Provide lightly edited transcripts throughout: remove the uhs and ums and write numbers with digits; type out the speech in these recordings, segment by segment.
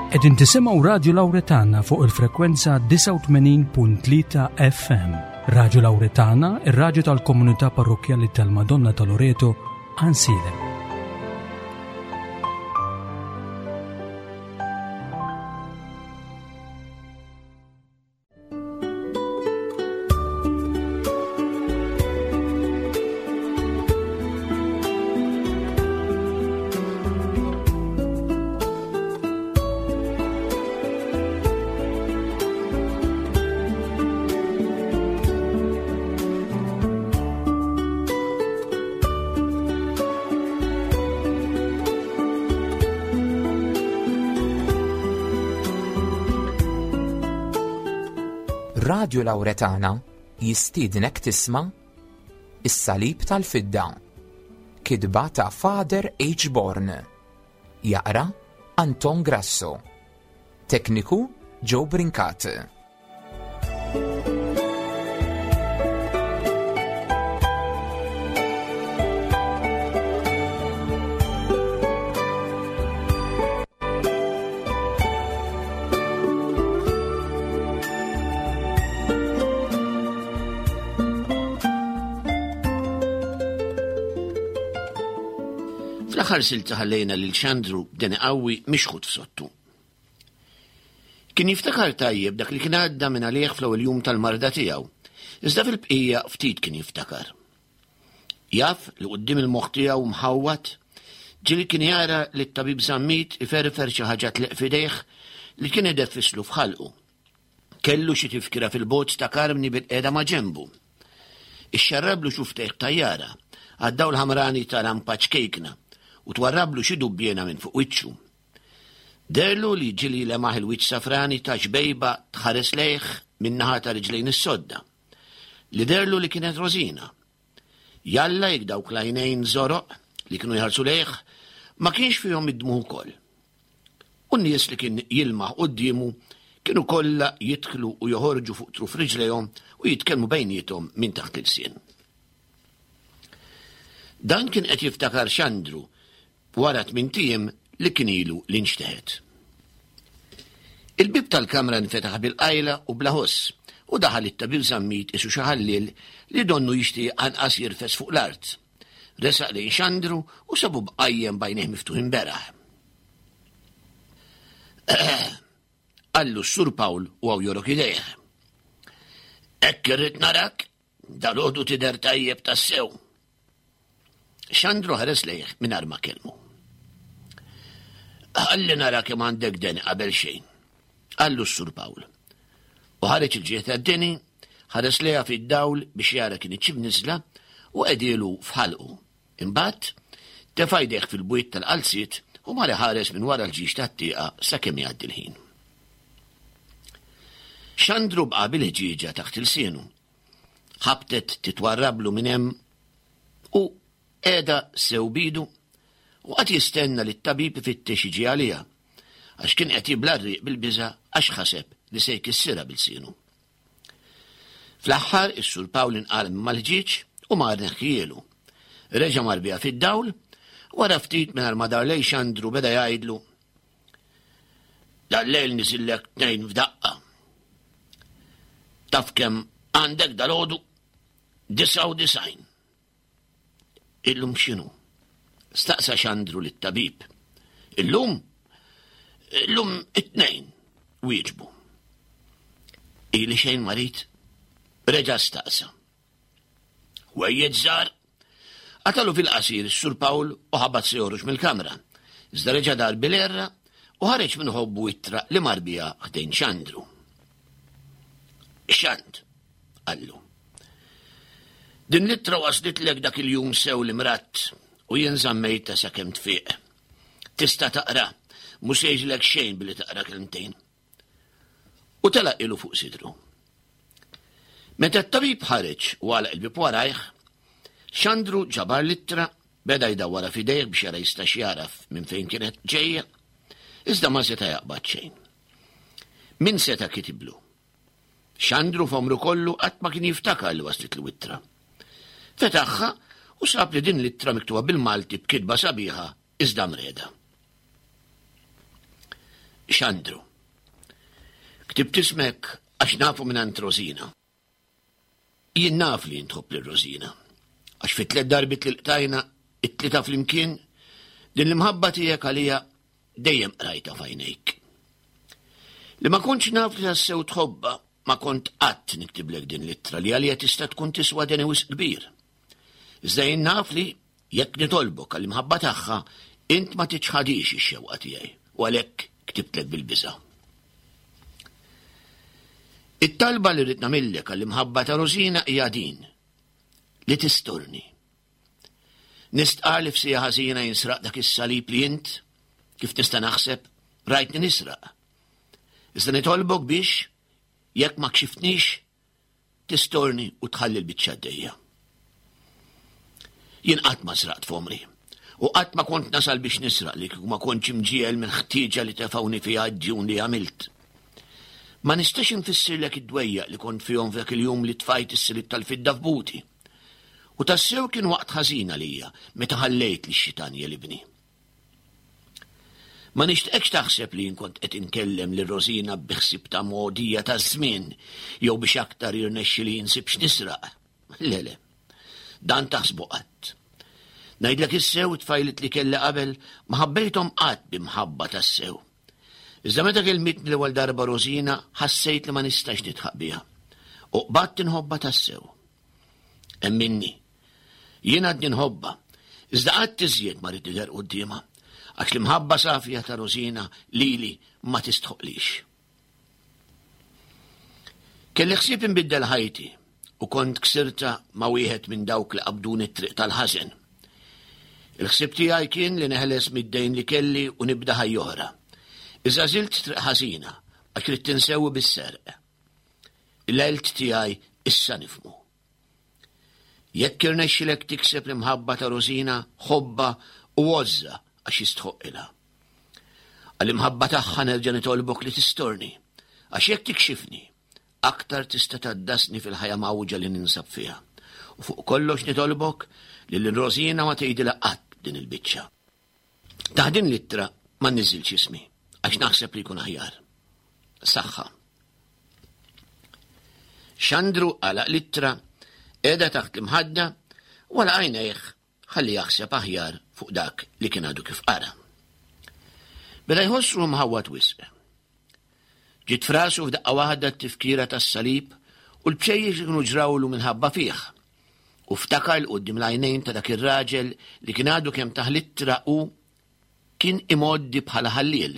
Qegħdin tisimgħu Radju Lawretana fuq il-frekwenza 89.3 FM. Radju Lawretana, ir-radju tal-komunità parrokkjali tal-Madonna ta' Loreto, Ansilem. Radju Lawretana jistiednek tisma' Is-Salib tal-Fidda. Kitba ta' Father H. Born. Jaqra Anton Grasso. Tekniku Joe Brincat. Fl-aħħar silta ħallejna lil Xandru b'deni qawwi mixħut f'sottu. Kien jiftakar tajjeb dak li kien għadda minn għalih fl-ewwel jum tal-marda tiegħu, iżda fil-bqija ftit kien jiftakar. Jaf li quddiem il-moħħ tiegħu mħawwad, ġieli kien jara li t-tabib Zammit iferfer xi ħaġa tleq f'idejh li kien ideffislu f'ħalqu. Kellu xi tifkira fil-bogħod ta' Karmni bilqiegħda ma' ġenbu. Ixxarrablu xuftejh b'tajjara għad-dawl ħamrani ta' lampa ċkejkna u twarrablu xi dubbiena minn fuq wiċċu. Deherlu li ġieli lemaħ il-wiċċ safrani ta' xbejba tħares lejh min-naħa ta' riġlejn is-sodda, li deherlu li kienet Rosina. Jalla jekk dawk l-għajnejn żoroq li kienu jħarsu lejh ma kienx fihom id-dmugħ ukoll. U n-nies li kien jilmaħ quddiemu kienu kollha jidħlu u joħorġu fuq truf riġlejhom u jitkellmu bejniethom minn taħt l-ilsien. Dan kien qed jiftakar Xandru wara tmint ijiem li kien ilu li nxteħet. Il-bieb tal-kamra nfetaħ bil-qajla u bla ħoss u daħal it-tabib Zammit isu xi ħalliel li donnu jixtieq anqas jirfes fuq l-art. Resaq lejn Xandru u sabu bqajjem b'għajnejh miftuħin beraħ. Qallu s-Sur Pawl u hawn jorok idejh. Hekk irrid narak, dalgħodu tidher tajjeb tassew. Xandru ħares lejh mingħajr ma kellmu. Ħalli nara kemm għandek deni qabel xejn, qallu s-Sur Pawl. U ħareġ il-ġieħ tad-deni, ħares lejha fid-dawl biex jara kinitx imniżżla u qegħdielu f'ħalqu. Imbagħad, tefa' jdejh fil-bwiet tal-qalziet u mar iħares minn wara l-ġiex tat-tieqa sakemm jgħaddi l-ħin. Xandru baqa' bil-ħġieġa taħt ilsienu. Ħabtet titwarrablu minn hemm u qiegħda sew b'idu u qagħad jistenna li t-tabib ifittex jiġi għaliha, għax kien qed jibla' r-riq bil-biża' għax ħaseb li se jkissirha b'ilsienu. Fl-aħħar is-Sur Pawl inqala minn mal-ħġieġ u mar neħħielu. Reġa' mar biha fid-dawl, wara ftit mingħajr ma dar lejn Xandru beda jgħidlu, Dal-lejl niżillek tnejn f'daqqa. Taf kemm għandek dalgħodu? 99. Illum x'inhu? Staqsa Xandru lit-tabib. Illum? Illum it-tnejn, wieġbu. Ili xejn marid? Reġa' staqsa. Ħwejjeġ żgħar. Qatalu fil-qasir is-Sur Pawl u ħabat se joħroġ mill-kamra. Iżda reġa' dar bil-għerra u ħareġ minn ħobbu ittra li mar biha ħdejn Xandru. Xand, qallu. Din l-ittra waslitlek dak il-jum sew li mradt u jien żammejtha sakemm tfiq. Tista' taqra, mhux se jiġrilek xejn billi taqra kelmtejn. U telaq ilu fuq sidru. Meta t-tabib ħareġ u għalaq il-bieb warajh, Xandru ġabar l-ittra, beda jdawwarha f'idejh biex jara jistax jagħraf minn fejn kienet ġejja, iżda ma seta' jaqbad xejn. Min seta' kitiblu? Xandru f'għomru kollu qatt ma kien jiftakar li waslitlu ittra. Fetaħha u sab li din l-ittra miktuba bil-Malti b'kitba sabiħa iżda mreda. Xandru. Ktibt ismek għax nafu mingħand Rosina. Jien naf li int tħobb lil Rosina. Għax fit tlet darbit li lqtajna, it-tlieta flimkien, din l-imħabba tiegħek għalija dejjem qrajta f'għajnejk. Li ma kontx naf li tassew tħobba, ma kont qatt niktiblek din l-ittra li għalija tista' tkun tiswa deni wisq kbir. Iżda jien naf li jekk nitolbok għall-imħabba tagħha, int ma tiċħadix ix-xewqa tiegħi u għalhekk ktibtlek bil-biża'. It-talba li rrid nagħmillek għall-imħabba ta' Rosina hija din, li tisturni. Nistqar li f'sija ħażina jinsraq dak is-salib li int, kif nista' naħseb, rajtni nisraq. Iżda nitolbok biex, jekk ma kxiftnix, tistorni u tħalli l-biċċa għaddejja. Jien qatt ma sraqt f'għomri u qatt ma kont nasal biex nisraq li kieku ma kontx imġiegħel minn ħtieġa li tefgħuni fiha d-djun li għamilt. Ma nistax infissirlek id-dwejjaq li kont fihom f'dak il-jum li tfajt is-silib tal-fidda f'buti. U tassew kien waqt ħażin għalija meta ħallejt lix-xitan jelibni. Ma nixtieqekx taħseb li jien kont qed inkellem lil Rosina bi ħsieb ta' mogħdija taż-żmien jew biex aktar jirnexxili insib x'nisraq. Le, le. Dan taħsbu qatt. Ngħidlek is-sew it-tfajliet li kelli qabel ma ħabbejthom qatt bi mħabba tassew. Iżda meta kelmitni l-ewwel darba Rosina ħassejt li ma nistax nidħaq biha. U qbadt inħobbha tassew. Emminni, Jien għadni nħobbha, iżda qatt iżjed ma rrid nidher quddiemha, għax l-imħabba safja ta' Rosina lili ma tistħoqlix. Kelli ħsieb inbiddel ħajti u kont ksirta ma' wieħed minn dawk li qabduni t-triq tal-ħażen. Il-ħsieb tiegħi kien li neħles mid-dejn li kelli u nibda ħajja oħra. Iżda żilt triq ħażina għax ridt insewwi bis-serq. L-għelt tiegħi issa nifhmu. Jekk irnexxilek tikseb l-imħabba ta' Rosina, ħobbha u għożżha għax jistħoqqilha. Għall-imħabba tagħha nerġa' nitolbok li tistorni, għax jekk tikxifni, aktar tista' tgħaddasni fil-ħajja mgħawġa li ninsab fiha. U fuq kollox nitolbok li lil Rosina ma tgħidilha qatt din il-biċċa. Taħt din l-ittra ma nniżżilx ismi għax naħseb li jkun aħjar. Saħħa. Xandru għalaq l-ittra, qiegħda taħt l-imħadda u għalaq għajnejh ħalli jaħseb aħjar fuq dak li kien għadu kif qara. Beda jħossru mħawwad wisq. Ġiet f'rasu f'daqqa waħda t-tifkira tas-salib u l-bċejjex li kienu ġrawlu minħabba fih. U ftakar 'l quddiem l-għajnejn ta' dak ir-raġel li kien għadu kemm tah l-ittra u kien imgħoddi bħala ħalliel.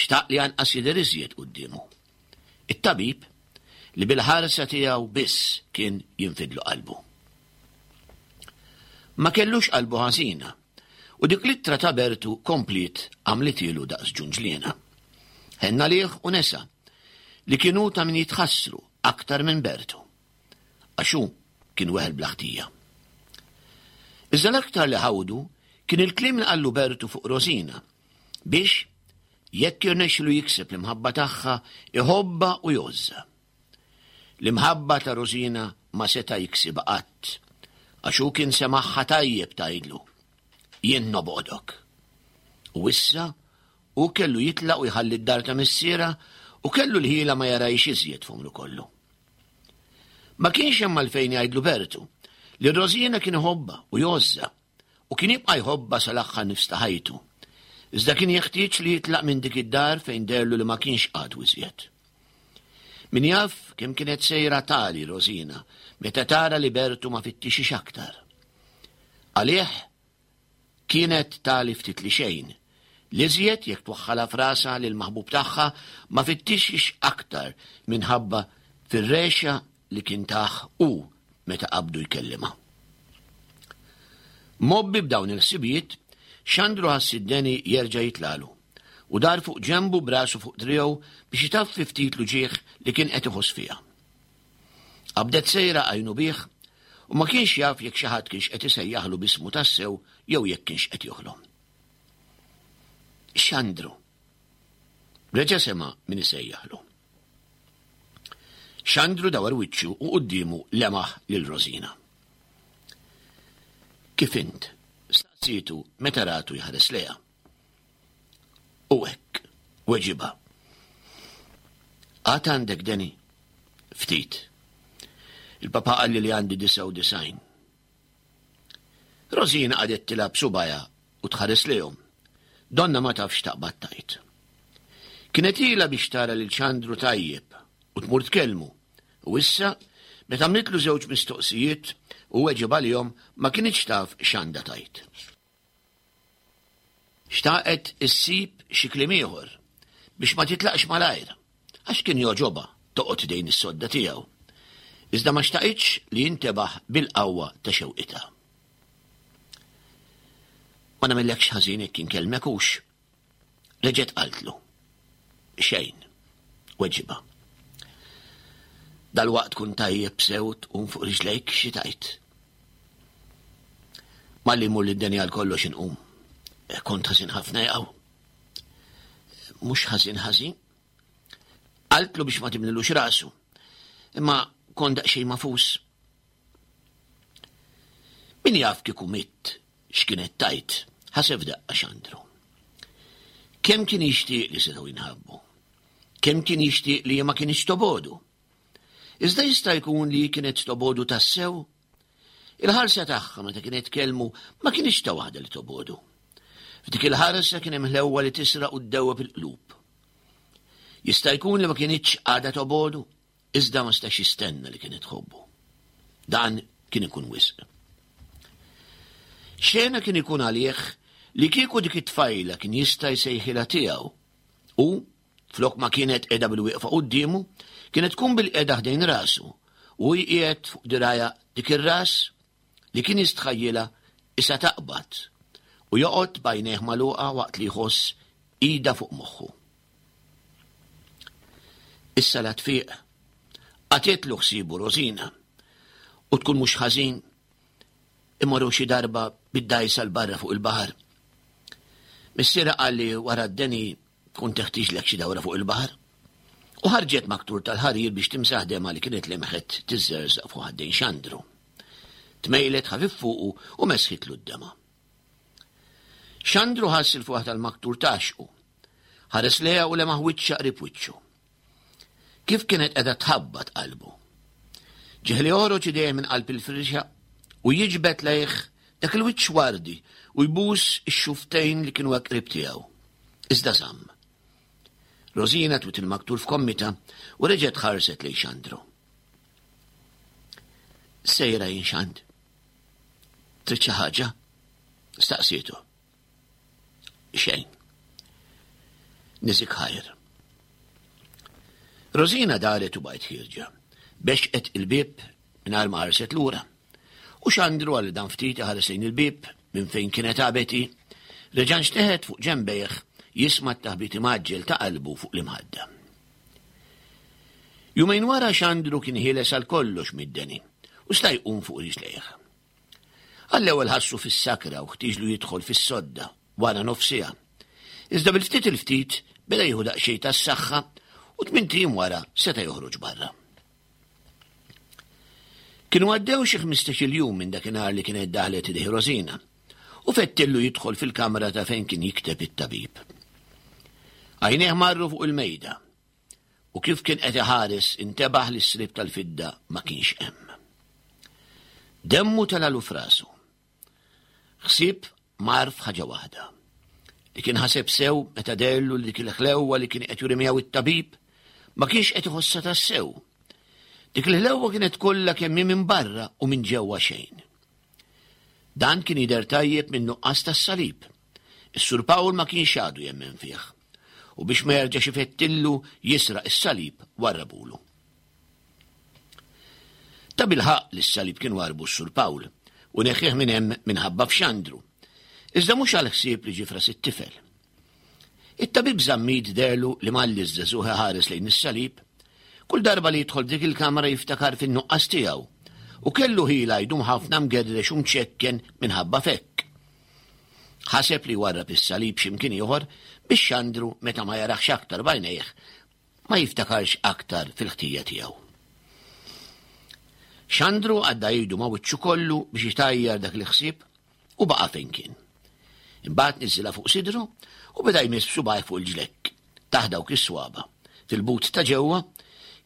Xtaq li anqas jidher iżjed quddiemu. It-tabib, li bil-ħarsa tiegħu biss kien jinfidlu qalbu. Ma kellux qalbu ħażina, u dik l-ittra ta' Bertu kompliet għamlitielu daqs ġunġliena. Ħenna għalih u nesa li kien hu ta' min jitħassru aktar minn Bertu. Għax hu kien weħel bla ħtija. Iżda l-aktar li ħawdu kien il-kliem li qallu Bertu fuq Rosina biex jekk jirnexxilu jikseb l-imħabba tagħha iħobbha u jgħożżha. L-imħabba ta' Rosina ma seta' jiksibha qatt, għax hu kien semagħha tajjeb tgħidlu, Jien nobgħodok. U issa hu kellu jitlaq u jħalli d-dar ta' missierha u kellu l-ħila ma jarahiex iżjed f'għomru kollu. Ma kienx hemm għalfejn jgħidlu Bertu li Rosina kien iħobbha u jgħożżha u kien jibqa' jħobbha sal-aħħar nifs ta' ħajtu. Iżda kien jeħtieġ li jitlaq minn dik id-dar fejn deherlu li ma kienx għadu iżjed. Min jaf kemm kienet sejra tali Rosina meta tara li Bertu ma fittixix aktar. Għalih Kienet tali ftit li xejn. L-iżjed jekk twaħħalha f'rasha li l-maħbub tagħha ma fittixhiex aktar minħabba fir-regħxa li kien tah hu meta qabdu jkellimha. Mgħobbi b'dawn il-ħsibijiet, Xandru ħass id-deni jerġa' jitlagħlu u dar fuq ġenbu b'rasu fuq driegħu biex itaffi ftit l-uġigħ li kien qed iħoss fiha. Qabdet sejra għajnu bih u ma kienx jaf jekk xi ħadd kienx qed isejjaħlu b'ismu tassew jew jekk kienx qed joħlom. Xandru. Reġa' sema' min isejjaħlu. Xandru dawar wiċċu u quddiemu lemaħ lil Rosina. Kif int? Staqsietu meta ratu jħares lejha. U hekk, Weġibha. Għad għandek deni? Ftit. Il-papa qalli li għandi 99. Rosina qagħdet tilgħab subgħajha u tħares lejhom. Donna ma tafx taqbad tgħid. Kienet ilha biex tara lil Xandru tajjeb u tmur tkellmu, u issa, meta għamlitlu żewġ mistoqsijiet u weġib għalihom ma kinitx taf x'għandha tgħid. Xtaqet issib xi kliem ieħor biex ma titlaqx malajr, għax kien jogħġobha toqgħod ħdejn is-sodda tiegħu. Iżda ma xtaqitx li jintebaħ bil-qawwa ta' xewqitha. Ma nagħmillekx ħażin jekk inkellmek hux? Reġgħet qaltlu. Xejn, weġibha. Dalwaqt tkun tajjeb sew tqum fuq riġlejk xi tgħid. Malli jmur lid-deni għal kollox inqum. Eh, kont ħażin ħafna jaqgħu. Mhux ħażin ħażin. Qaltlu biex ma timlilux rasu. Imma kont daqsxejn mafus. Min jaf kieku mitt x'kienet tgħid, ħaseb f'daqqa Xandru. Kemm kien jixtieq li setgħu jinħabbu. Kemm kien jixtieq li ma kienx tobodu. Iżda jista' jkun li kienet tobodu tassew? Il-ħarsa tagħha meta kienet tkellmu ma kienx ta' waħda li tobodu. F'dik il-ħarsa kien hemm ħlewwa li tisraq u ddewweb il-qlub. Jista' jkun li ma kienitx għadha tobodu, iżda ma stax jistenna li kienet tħobbu. Dan kien ikun wisq. Xena kien ikun għalih li kieku dik it-tfajla kien jista' jsejħilha tiegħu u flok ma kienet qiegħda bil-wieqfa quddiemu, kienet tkun bil-qiegħda ħdejn rasu u jqiegħed fuq dirajha dik ir-ras li kien jistħajjilha isa taqbad u joqgħod b'għajnejh magħluqa waqt li jħoss idha fuq moħħu. Issa la tfiq, qatgħetlu ħsiebu Rosina, u tkun mhux ħażin imorru xi darba bid-dgħajsa 'l barra fuq il-baħar. Missierha qal li wara d-deni tkun teħtieġlek xi dawra fuq il-baħar. U ħarġet maktur tal-ħarir biex timsaħ dema li kienet lemħet tiżżerżaq fuq ħaddejn Xandru. Tmejlet ħafif fuqu u mesħitlu d-dema. Xandru ħass il-fuħ tal-maktur taxqu. Ħares lejha u lemaħ wiċċha qrib wiċċu. Kif kienet qiegħda tħabbat qalbu. Ġieħ li joħroġ idejh minn qalb il-firxa u jiġbed lejh dak il-wiċċ wardi u jbus ix-xuftejn li kienu hekk qrib tiegħu. Iżda żamm. Rosina twit il-maktur f'kommita u reġgħet ħarset lejn Xandru. Sejra jien Xand. Trid xi ħaġa? Staqsietu. Xejn. Niżik ħajr. Rosina daret u bajt ħirġa. Bexqet il-bib mingħajr ma ħarset lura. U xandru għal dan ftit ħares lejn il-bib minn fejn kienet għabeti, reġan xteħet fuq ġembejh jisma' t-taħbit imaġġel ta' qalbu fuq l-imħadda. Jumejn wara Xandru kien ħieles għal kollox mid-deni u sta jqum fuq riġlejh. Għall-ewwel ħassu fis-sakra u ħtieġlu jidħol fis-sodda wara nofs siegħa. Iżda bil-ftit il-ftit beda jieħu daqsxejn tas-saħħa u tmint ijiem wara seta' joħroġ barra. Kienu għaddew xi 15-il jum minn dakinhar li kienet daħlet idejh Rosina u fettillu jidħol fil-kamra ta' fejn kien jikteb it-tabib. Għajnejh marru fuq il-mejda u kif kien qed iħares intebaħ li s-slib tal-fidda ma kienx hemm. Demmu telalu frasu. Ħsieb mar f'ħaġa waħda. Li kien ħaseb sew meta dellu li dik il-ħlewwa li kien qed juri miegħu it-tabib ma kienx qed iħossha tassew. Dik il-ħlewwa kienet kollha kemm minn barra u minn ġewwa xejn. Dan kien jidher tajjeb minn nuqqas tas-salib. Is-Sur Pawl ma kienx għadu jemmen fih. U biex ma jerġax ifettillu jisraq is-salib warrabulu. Tabilħaqq li s-salib kien warrbu s-Sur Pawl u neħħih minn hemm minħabba f'Xandru. Iżda mhux għall-ħsieb li ġie f'ras it-tifel. It-tabib Zammit deherlu li malli ż-żagħżugħ iħares lejn is-salib, kull darba li jidħol f'dik il-kamra jiftakar fin-nuqqas tiegħu u kellu ħila jdum ħafna mgerrex u mċekken minħabba f'hekk. Ħaseb li jwarrab is-salib xi mkien ieħor biex Xandru meta ma jaraħx aktar b'għajnejh ma jiftakarx aktar fil-ħtija tiegħu. Xandru għadda idu ma' wiċċu kollu biex itajjar dak il-ħsieb u baqa' fejn kien. Imbagħad niżilha fuq sidru u beda jmiss b'subgħajh fuq il-ġlekk. Taħt dawk is-swaba, fil-but ta' ġewwa,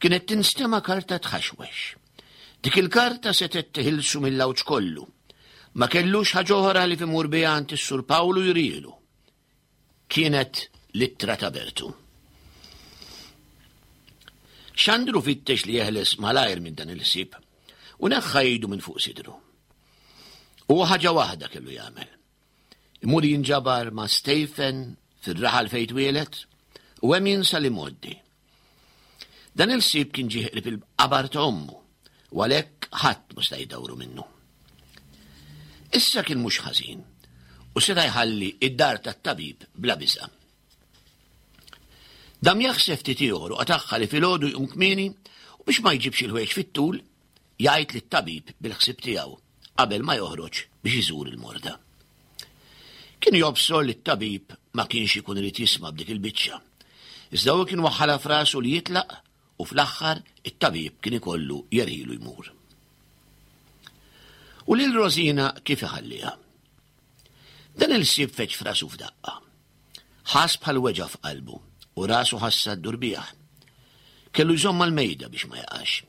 kienet tinstema' karta tħaxwex. Dik il-karta setgħet teħilsu mill-għawġ kollu. Ma kellux ħaġa oħra li imur biha għand is-Sur Pawlu jrielu. Kienet l-ittra ta' Bertu. Xandru fittex li jeħles malajr minn dan il-ħsieb u neħħa idu minn fuq sidru. U ħaġa waħda kellu jagħmel. Imur jinġabar ma' Stephen fir-raħal fejn twieled u hemm jinsa li moddi. Dan il-ħsieb kien ġie qrib il-qabar ta' ommu u għalhekk ħadd ma sta jdawru minnu. Issa kien mhux ħażin u seta' jħalli id-dar tat-tabib bla biża'. Dam jaħseb ftit ieħor u qatagħha li filgħodu jqum kmieni u biex ma jġibx il-ħwejjeġ fit-tul, jgħid lit-tabib bil-ħsieb tiegħu qabel ma joħroġ biex iżur il-morda. Kien jobsor li t-tabib ma kienx ikun irid jisma' b'dik il-biċċa. Iżda hu kien waħħalha f'rasu li jitlaq u fl-aħħar it-tabib kien ikollu jerħilu jmur. U lil Rosina kif iħalliha? Dan il-ħsieb feġġ f'rasu f'daqqa. Ħass bħal weġgħa f'qalbu u rasu ħassa ddur bih. Kellu jżomm mal-mejda biex ma jaqax.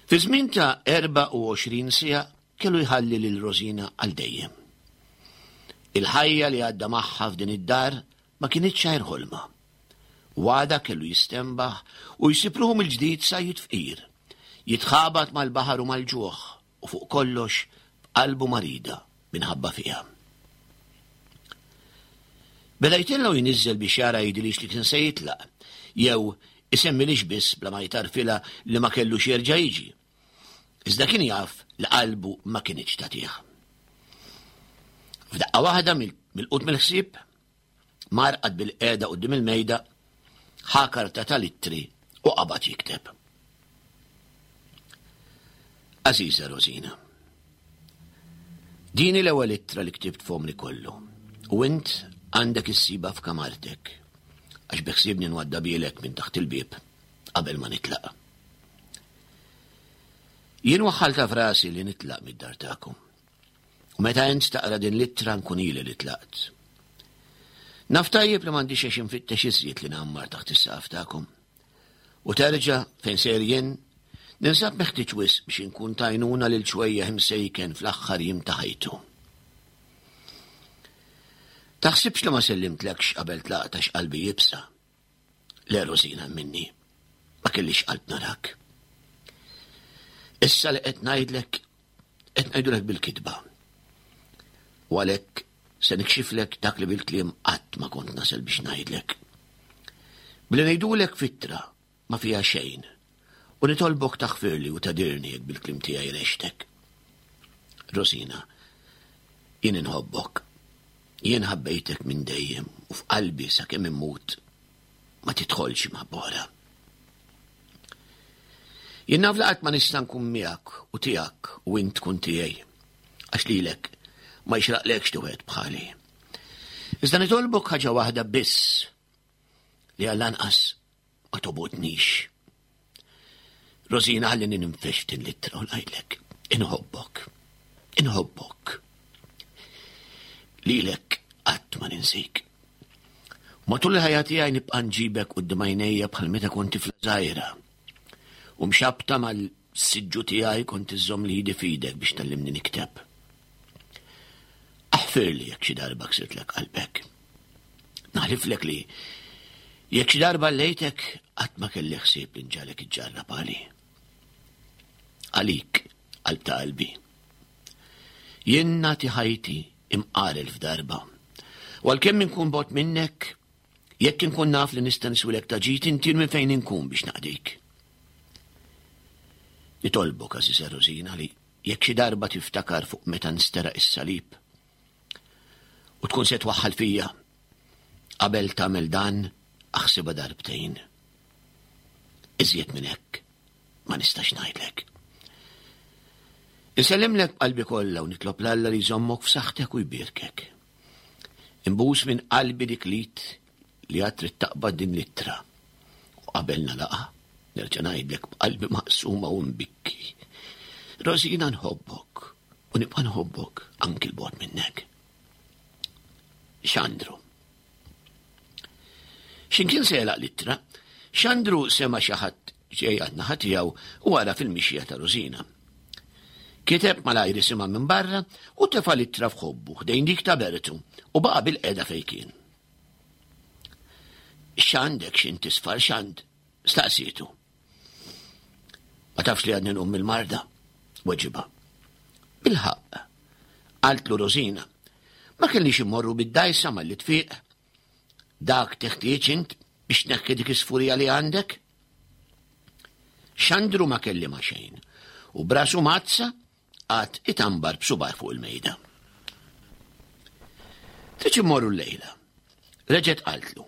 Fi żmien ta' 24 siegħa kellu jħalli lil Rosina għal dejjem. Il-ħajja li għadda magħha f'din id-dar ma kinitx għajr ħolma. Wada kellu jistenbaħ u jsib ruħu mill-ġdid sajjid fqir, jitħabat mal-baħar u mal-ġuħ u fuq kollox b'qalbu marida minħabba fiha. Beda jtella' u jniżżel biex jara jidhirlix li kien se jitlaq, jew isemmilix biss bla ma jtarfilha li ma kellux jerġa' jiġi. Iżda kien jaf li qalbu ma kinitx tagħtih. F'daqqa waħda milqut mill-ħsieb, mar qagħad bil-qiegħda quddiem il-mejda, ħa karta tal-ittri u qabad jikteb. Għażiża Rosina, din hi l-ewwel ittra li ktibt f'għomri kollu u int għandek issibha f'kamartek għax biħsiebni nwaddabielek minn taħt il-bieb qabel ma nitlaq. Jien waħħaltha f'rasi li nitlaq mid-dar tagħkom. U meta int taqra din l-ittra nkun ili li tlaqt. Naf tajjeb li m'għandix għax infittex iżjed li ngħammar taħt is-saqaf tagħkom. U terġa' fejn sejr jien, ninsab meħtieġ wisq biex inkun t'għajnuna lil ċwejjaħ imsejken fl-aħħar jiem ta' ħajtu. Taħsibx li ma sellimtlekx qabel tlaqt għax qalbi iebsa. Le Rosina minni, ma kellix qalb narak. Issa li qed ngħidlek, qed ngħidulek bil-kitba. U għalhekk se nikxiflek dak li bil-kliem qatt ma kont nasel biex ngħidlek. Billi ngħidulek fittra ma fiha xejn u nitolbok taħfirli u tadirni jekk bil-kliem tiegħi rextek. Rosina, jien inħobbok. Jien ħabbejtek minn dejjem u f'qalbi sakemm immut ma tidħolx imħabba oħra. Jien naf li qatt ma nista' nkun miegħek u tiegħek u int tkun tiegħi. Għax lilek ma jxraqlekx tuħed bħali. Iżda nitolbok ħaġa waħda biss li għall-anqas ma tobgħodnix. Rosina ħallini ninfex f'din l-ittra u ngħidlek, inħobbok, inħobbok. Lilek qatt ma ninsik. Matul il-ħajja tiegħi nibqa' nġibek quddiem għajnejja bħal meta kont tifla żgħira. U mxabta mal-siġġu tiegħi kont iżżomm li idi f'idek biex tgħallimni nikteb. Aħfirli jekk xi darba ksirtlek qalbek. Naħliflek li jekk xi darba lejtek qatt ma kelli ħsieb li nġalek iġġarrab għali. Għalik, qalb ta' qalbi. Jien nagħti ħajti imqarel f'darba. U għalkemm inkun bot minnek, jekk inkun naf li nista' niswilek ta' ġid intir minn fejn inkun biex naqdik. Nitolbok, Aziza Rosina, li jekk xi darba tiftakar fuq meta nsteraq is-salib u tkun se twaħħal fija, qabel tagħmel dan aħsibha darbtejn. Iżjed minn hekk ma nistax ngħidlek. Insellimlek b'qalbi kollha u nitlob 'l Alla li jżommok f'saħħtek u jbierkek. Inbus minn qalbi dik l-id li għad trid taqbad din l-ittra. U qabel nagħlaqha, nerġa' ngħidlek b'qalbi maqsuma u mbikki. Rosina nħobbok u nibqa' nħobbok anki 'l bogħod minnek. Xandru. X'imkien se jagħlaq l-ittra, Xandru sema' xi ħadd ġej għan-naħa tiegħu u għaraf il-mixja ta' Rosina. Kiteb malajr isimha minn barra u tefa' l-ittra f'ħobbu ħdejn dik ta' Bertu u baqa' bil-qiegħda fejn kien. X'għandek x'int tisfar x'għand? staqsietu. Ma tafx li għadni nqum mill-marda? Weġibha. Bilħaqq, qaltlu Rosina. Ma kellix immorru bid-dajsa malli tfiq. Dak teħtieġ int biex tneħħi dik is-sfurija li għandek? Xandru ma kellima xejn u brasu mazza għad itambar b'subaj fuq il-mejda. Trid immorru l-lejla. Reġgħet qaltlu.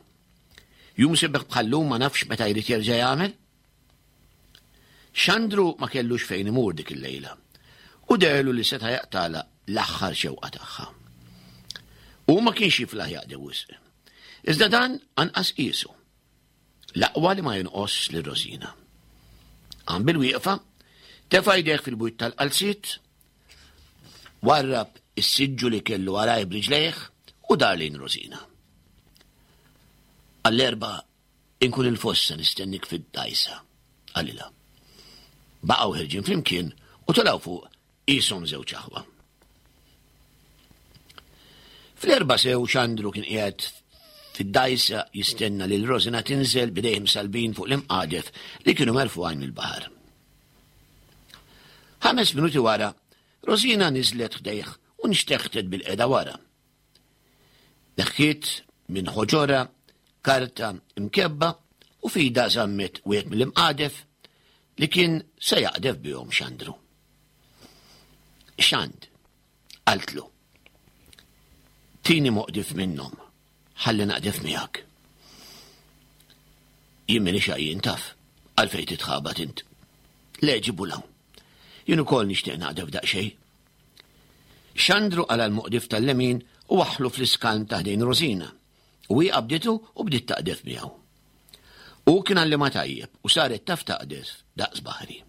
Jum sebeħ bħallum ma nafx meta jrid jerġa' jagħmel? Xandru ma kellux fejn imur dik il-lejla u deherlu li seta' jaqtagħlha l-aħħar xewqa tagħha. Hu ma kienx jiflaħ jaqdi wisq. Iżda dan anqas qiesu. L-aqwa li ma jonqosx lil Rosina. Qam bil-wieqfa, tefa' jdejh fil-bwiet tal-qalziet, warrab is-siġġu li kellu warajh b'riġlejh u dar lejn Rosina. Għall-erba' Inkun il-fossa nistennik fid-dgħajsa, qalilha. Baqgħu ħerġin flimkien u telgħu fuq qishom żewġ aħwa. Fl-erba' sew Xandru kien qiegħed fid-dgħajsa jistenna lil Rosina tinżel b'idejh msallbin fuq l-imqadef li kienu merfugħin mill-baħar. Ħames minuti wara, Rosina niżlet ħdejh u nxteħtet bil-qeda wara. Neħħiet minn ħoġorha karta mkebba u f'idha żammet wieħed mill-imqadef li kien se jaqdef bihom Xandru. Xand, qaltlu, tini moqdif minnhom, ħalli naqdef miegħek. Jien minix għajjien taf, għalfejn titħabat int. Le ġibu 'l hawn. Jien ukoll nixtieq naqdef daqsxejn. Xandru qala' l-moqdif tal-lemin u waħħlu fl-iskalm ta' ħdejn Rosina, u hi qabditu u bdiet taqdef miegħu. Hu kien għallimha tajjeb u saret taf taqdef daqs baħri.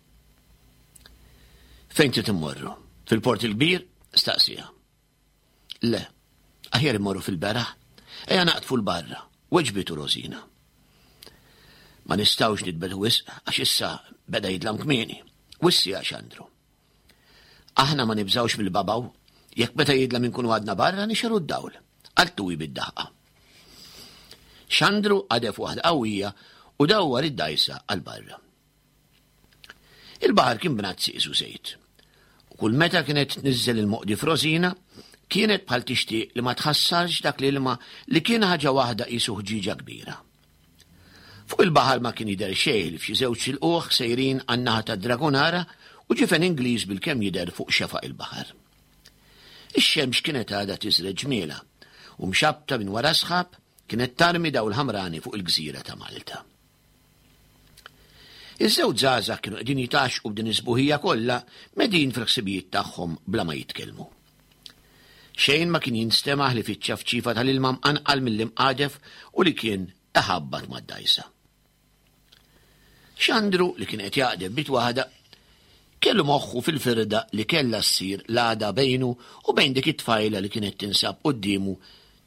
Fejn trid immorru? Fil-Port il-Kbir? staqsieha. Le, aħjar immorru fil-beraħ. Ejja naqdfu 'l barra, weġbitu Rosina. Ma nistgħux nitbegħdu wisq għax issa beda jidlam kmieni, wissieha Xandru. Aħna ma nibżgħux mill-babaw, jekk meta jidlam inkunu għadna barra nixegħlu d-dawl, qaltu hi bid-daħqa. Xandru qadef waħda qawwija u dawwar id-dgħajsa għal barra. Il-baħar kien bnazzi qisu żejt. U kull meta kienet tniżżel il-moqdi f'Rosina, kienet bħal tixtieq li ma tħassarx dak l-ilma li kien ħaġa waħda qisu ħġieġa kbira. Fuq il-baħar ma kien jidher xejn ħlief xi żewġ ilqugħ sejrin għan-naħa tad-Dragonara u ġifen Ingliż bilkemm jidher fuq xefaq il-baħar. Ix-xemx kienet għadha tiżreġ ġmielha u mxabbta minn wara s-sħab kienet tarmi dawl ħamrani fuq il-gżira ta' Malta. Iż-żewġ żgħażagħ kienu qegħdin jitgħaxxqu b'din is-sbuħija kollha medin fil-ħsibijiet tagħhom bla ma jitkellmu. Xejn ma kien jinstema' ħlief iċ-ċafċifa tal-ilma mqanqal mill-imqadef u li kien iħabbat mad-dgħajsa. Xandru li kien qed jaqdef bit waħda kellu moħħu fil-firda li kellha ssir l-għada bejnu u bejn dik it-tfajla li kienet tinsab quddiemu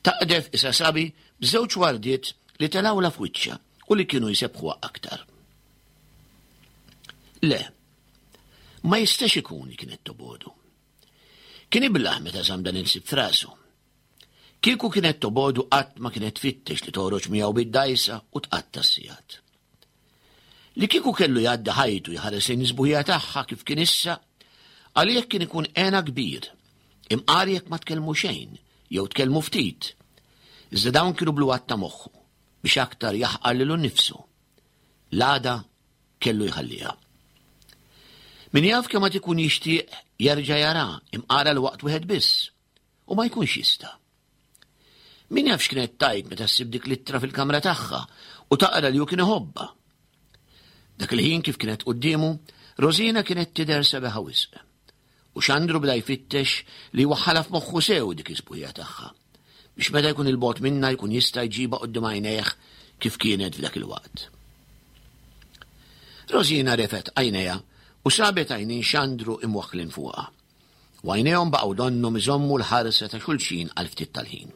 taqdef isa sabi b'żewġ wardiet li telgħulha f'wiċċha u li kienu jsebbħuha aktar. Le, ma jistax ikun li kienet tobodu. Kien iblah meta żamm dan il-ħsieb f'rasu. Kieku kienet tobodu qatt ma kienet tfittex li toħroġ miegħu bid-dgħajsa u tqatta' s-sigħat. Li kieku kellu jgħaddi ħajtu jħares lejn is-sbuħija tagħha kif kien issa, għalih kien ikun hena kbir, imqar jekk ma tkellmu xejn jew tkellmu ftit. Iżda dawn kienu bluwat ta' moħħu biex aktar jaħqar lilu nnifsu. L-għada kellu jħalliha. Min jaf kemm għad ikun jixtieq jerġa' jara imqar għal waqt wieħed biss u ma jkunx jista'. Min jaf x'kienet tgħid meta ssib dik l-ittra fil-kamra tagħha u taqra li hu kien iħobbha. Dak il-ħin kif kienet quddiemu, Rosina kienet tidher sabiħa wisq. U Xandru bda jfittex li jwaħħalha f'moħħu sew dik is-sbuħija tagħha, biex meta jkun 'il bogħod minnha jkun jista' jġibha quddiem għajnejh kif kienet f'dak il-waqt. Rosina refgħet għajnejha u sabet għajnejn Xandru imwaħħlin fuqha. U għajnejhom baqgħu donnhom iżommu l-ħarsa ta' xulxin għal ftit tal-ħin.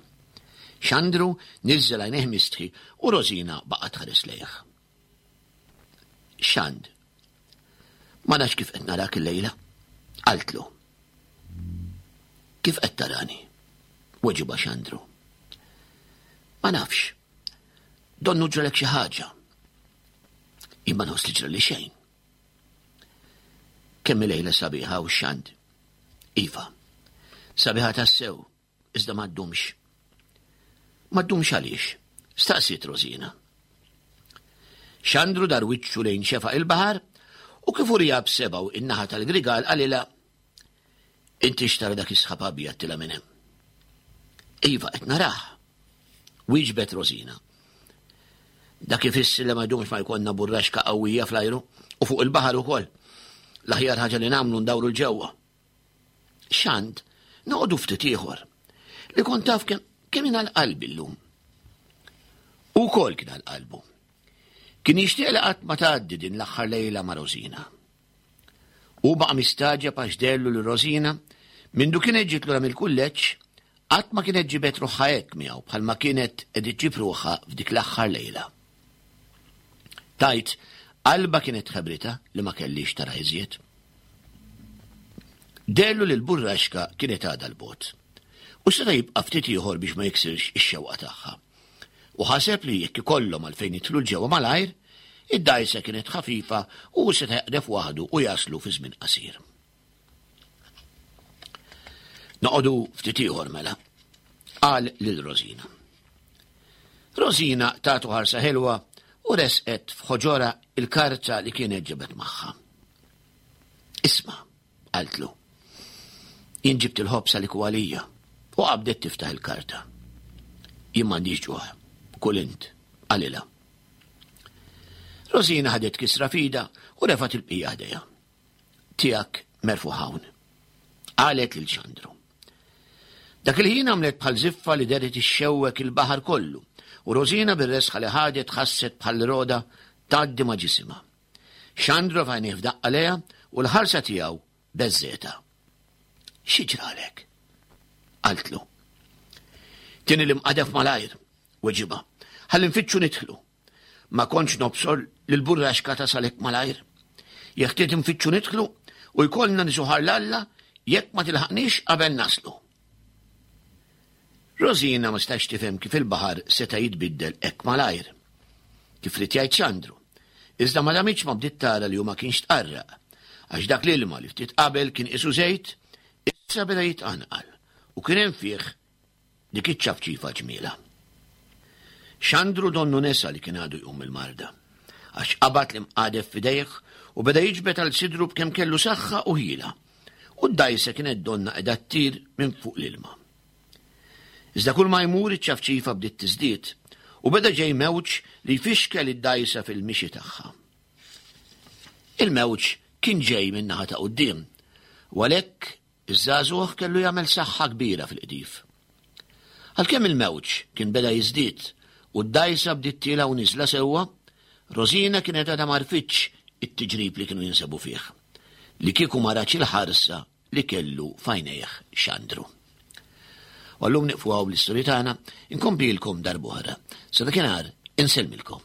Xandru niżżel għajnejh mistħi u Rosina baqgħet tħares lejh. Xand, ma nafx kif qed narak illejla, qaltlu. Kif qed tarani? Weġibha Xandru. Ma nafx. Donnu ġralek xi ħaġa. Imma nħoss li ġrali xejn. Kemm lejla sabiħa u xand. Iva, sabiħa tassew, iżda ma ddumx. Ma ddumx għaliex? Staqsiet Rosina. Xandru dar wiċċu lejn xefaq il-baħar u kif urija b'sebgħu in-naħa tal-grigal qalilha Inti xtara dak is-sħab abjad tila minn hemm. Iva, qed narah. Wieġbet Rosina. Dak ifisser li ma jdumx ma jkollna burraxka qawwija fl-ajru u fuq il-baħar ukoll. L-aħjar ħaġa li nagħmlu ndawru l-ġewwa. Xand, noqogħdu ftit ieħor. Li kont taf kemm kemm għal qalbi llum. U wkoll kien għal qalbu. Kien jixtieq li qatt ma tgħaddi din l-aħħar lejla ma' Rosina. Hu baqa' mistagħġeb għax deherlu li Rosina, mindu kienet ġiet lura mill-kulleġġ, qatt ma kienet ġibet ruħha hekk miegħu bħalma kienet qed iġġib ruħha f'dik l-aħħar lejla. Tgħid, qalbha kienet ħebritha li ma kellhiex tara iżjed. Deherlu li l-burraxka kienet għadha 'l bogħod u seta' jibqa' ftit ieħor biex ma jiksirx ix-xewqa tagħha. U ħaseb li jekk ikollhom għalfejn jidħlu 'l ġewwa malajr, id-dgħajsa kienet ħafifa u hu seta' jaqdef waħdu u jaslu fi żmien qasir. Noqogħdu ftit ieħor mela, qal lil Rosina. Rosina tatu ħarsa ħelwa u resqet f'ħoġorha il-karta li kienet ġabet magħha. Isma', Qaltlu. Jien ġibt il-ħobż għalik u għalija. U qabdet tiftaħ il-karta. Jien m'għandix ġuħ. Kul int, qalilha. Rosina ħadet kisra fida u refat il-bqija ħdejha. Tiegħek merfuħ hawn. Qalet lil Xandru. Dak il-ħin għamlet bħal ziffa li deret ixxewwek il-baħar kollu u Rosina bir-resħa li ħadet ħasset bħal roda tgħaddi ma' ġisimha. Xandru f'għajnejh f'daqqa lejha u l-ħarsa tiegħu beżżgħetha. Xi ġralek? Qaltlu. Tieni l-imqadef malajr, weġibha. Ħalli nfittxu nidħlu. Ma kontx nobsor li l-burraxka tasal hekk malajr. Jeħtieġ nfittxu nidħlu u jkollna nisuħar l-Alla jekk ma tilħaqniex qabel naslu. Rosina ma setax tifhem kif il-baħar seta' jitbiddel hekk malajr. Kif ried jgħid Xandru. Iżda ma damitx ma bdiet tara li hu ma kienx tqarraq, għax dak l-ilma li ftit qabel kien qisu żejt, issa beda jitqanqal u kien hemm fih dik iċ-ċafċifa ġmielha. Xandru donnu nesa li kien għadu jqum mill-marda, għax qabad l-imqadef f'idejh u beda jiġbed għal sidru b'kemm kellu saħħa u ħila, u d-dgħajsa kienet donnha qiegħda ttir minn fuq l-ilma. Iżda kull ma jmur iċ-ċafċifa bdiet tiżdied u beda ġej mewġ li jfixkel id-dgħajsa fil-mixi tagħha. Il-mewġ kien ġej min-naħa ta' quddiem u għalhekk iż-żagħżugħ kellu jagħmel saħħa kbira fil-qdif. Għalkemm il-mewġ kien beda jiżdied u d-dgħajsa bdiet tiela' u niżla sewwa, Rosina kienet għadha m'għarfitx it-tiġrib li kienu jinsabu fih. Li kieku ma ratx il-ħarsa li kellu f'għajnejh Xandru. U għallum niqfu hawn bl-istorja tagħna, inkomplilkom darb'oħra. Sa dakinhar insellmilkom.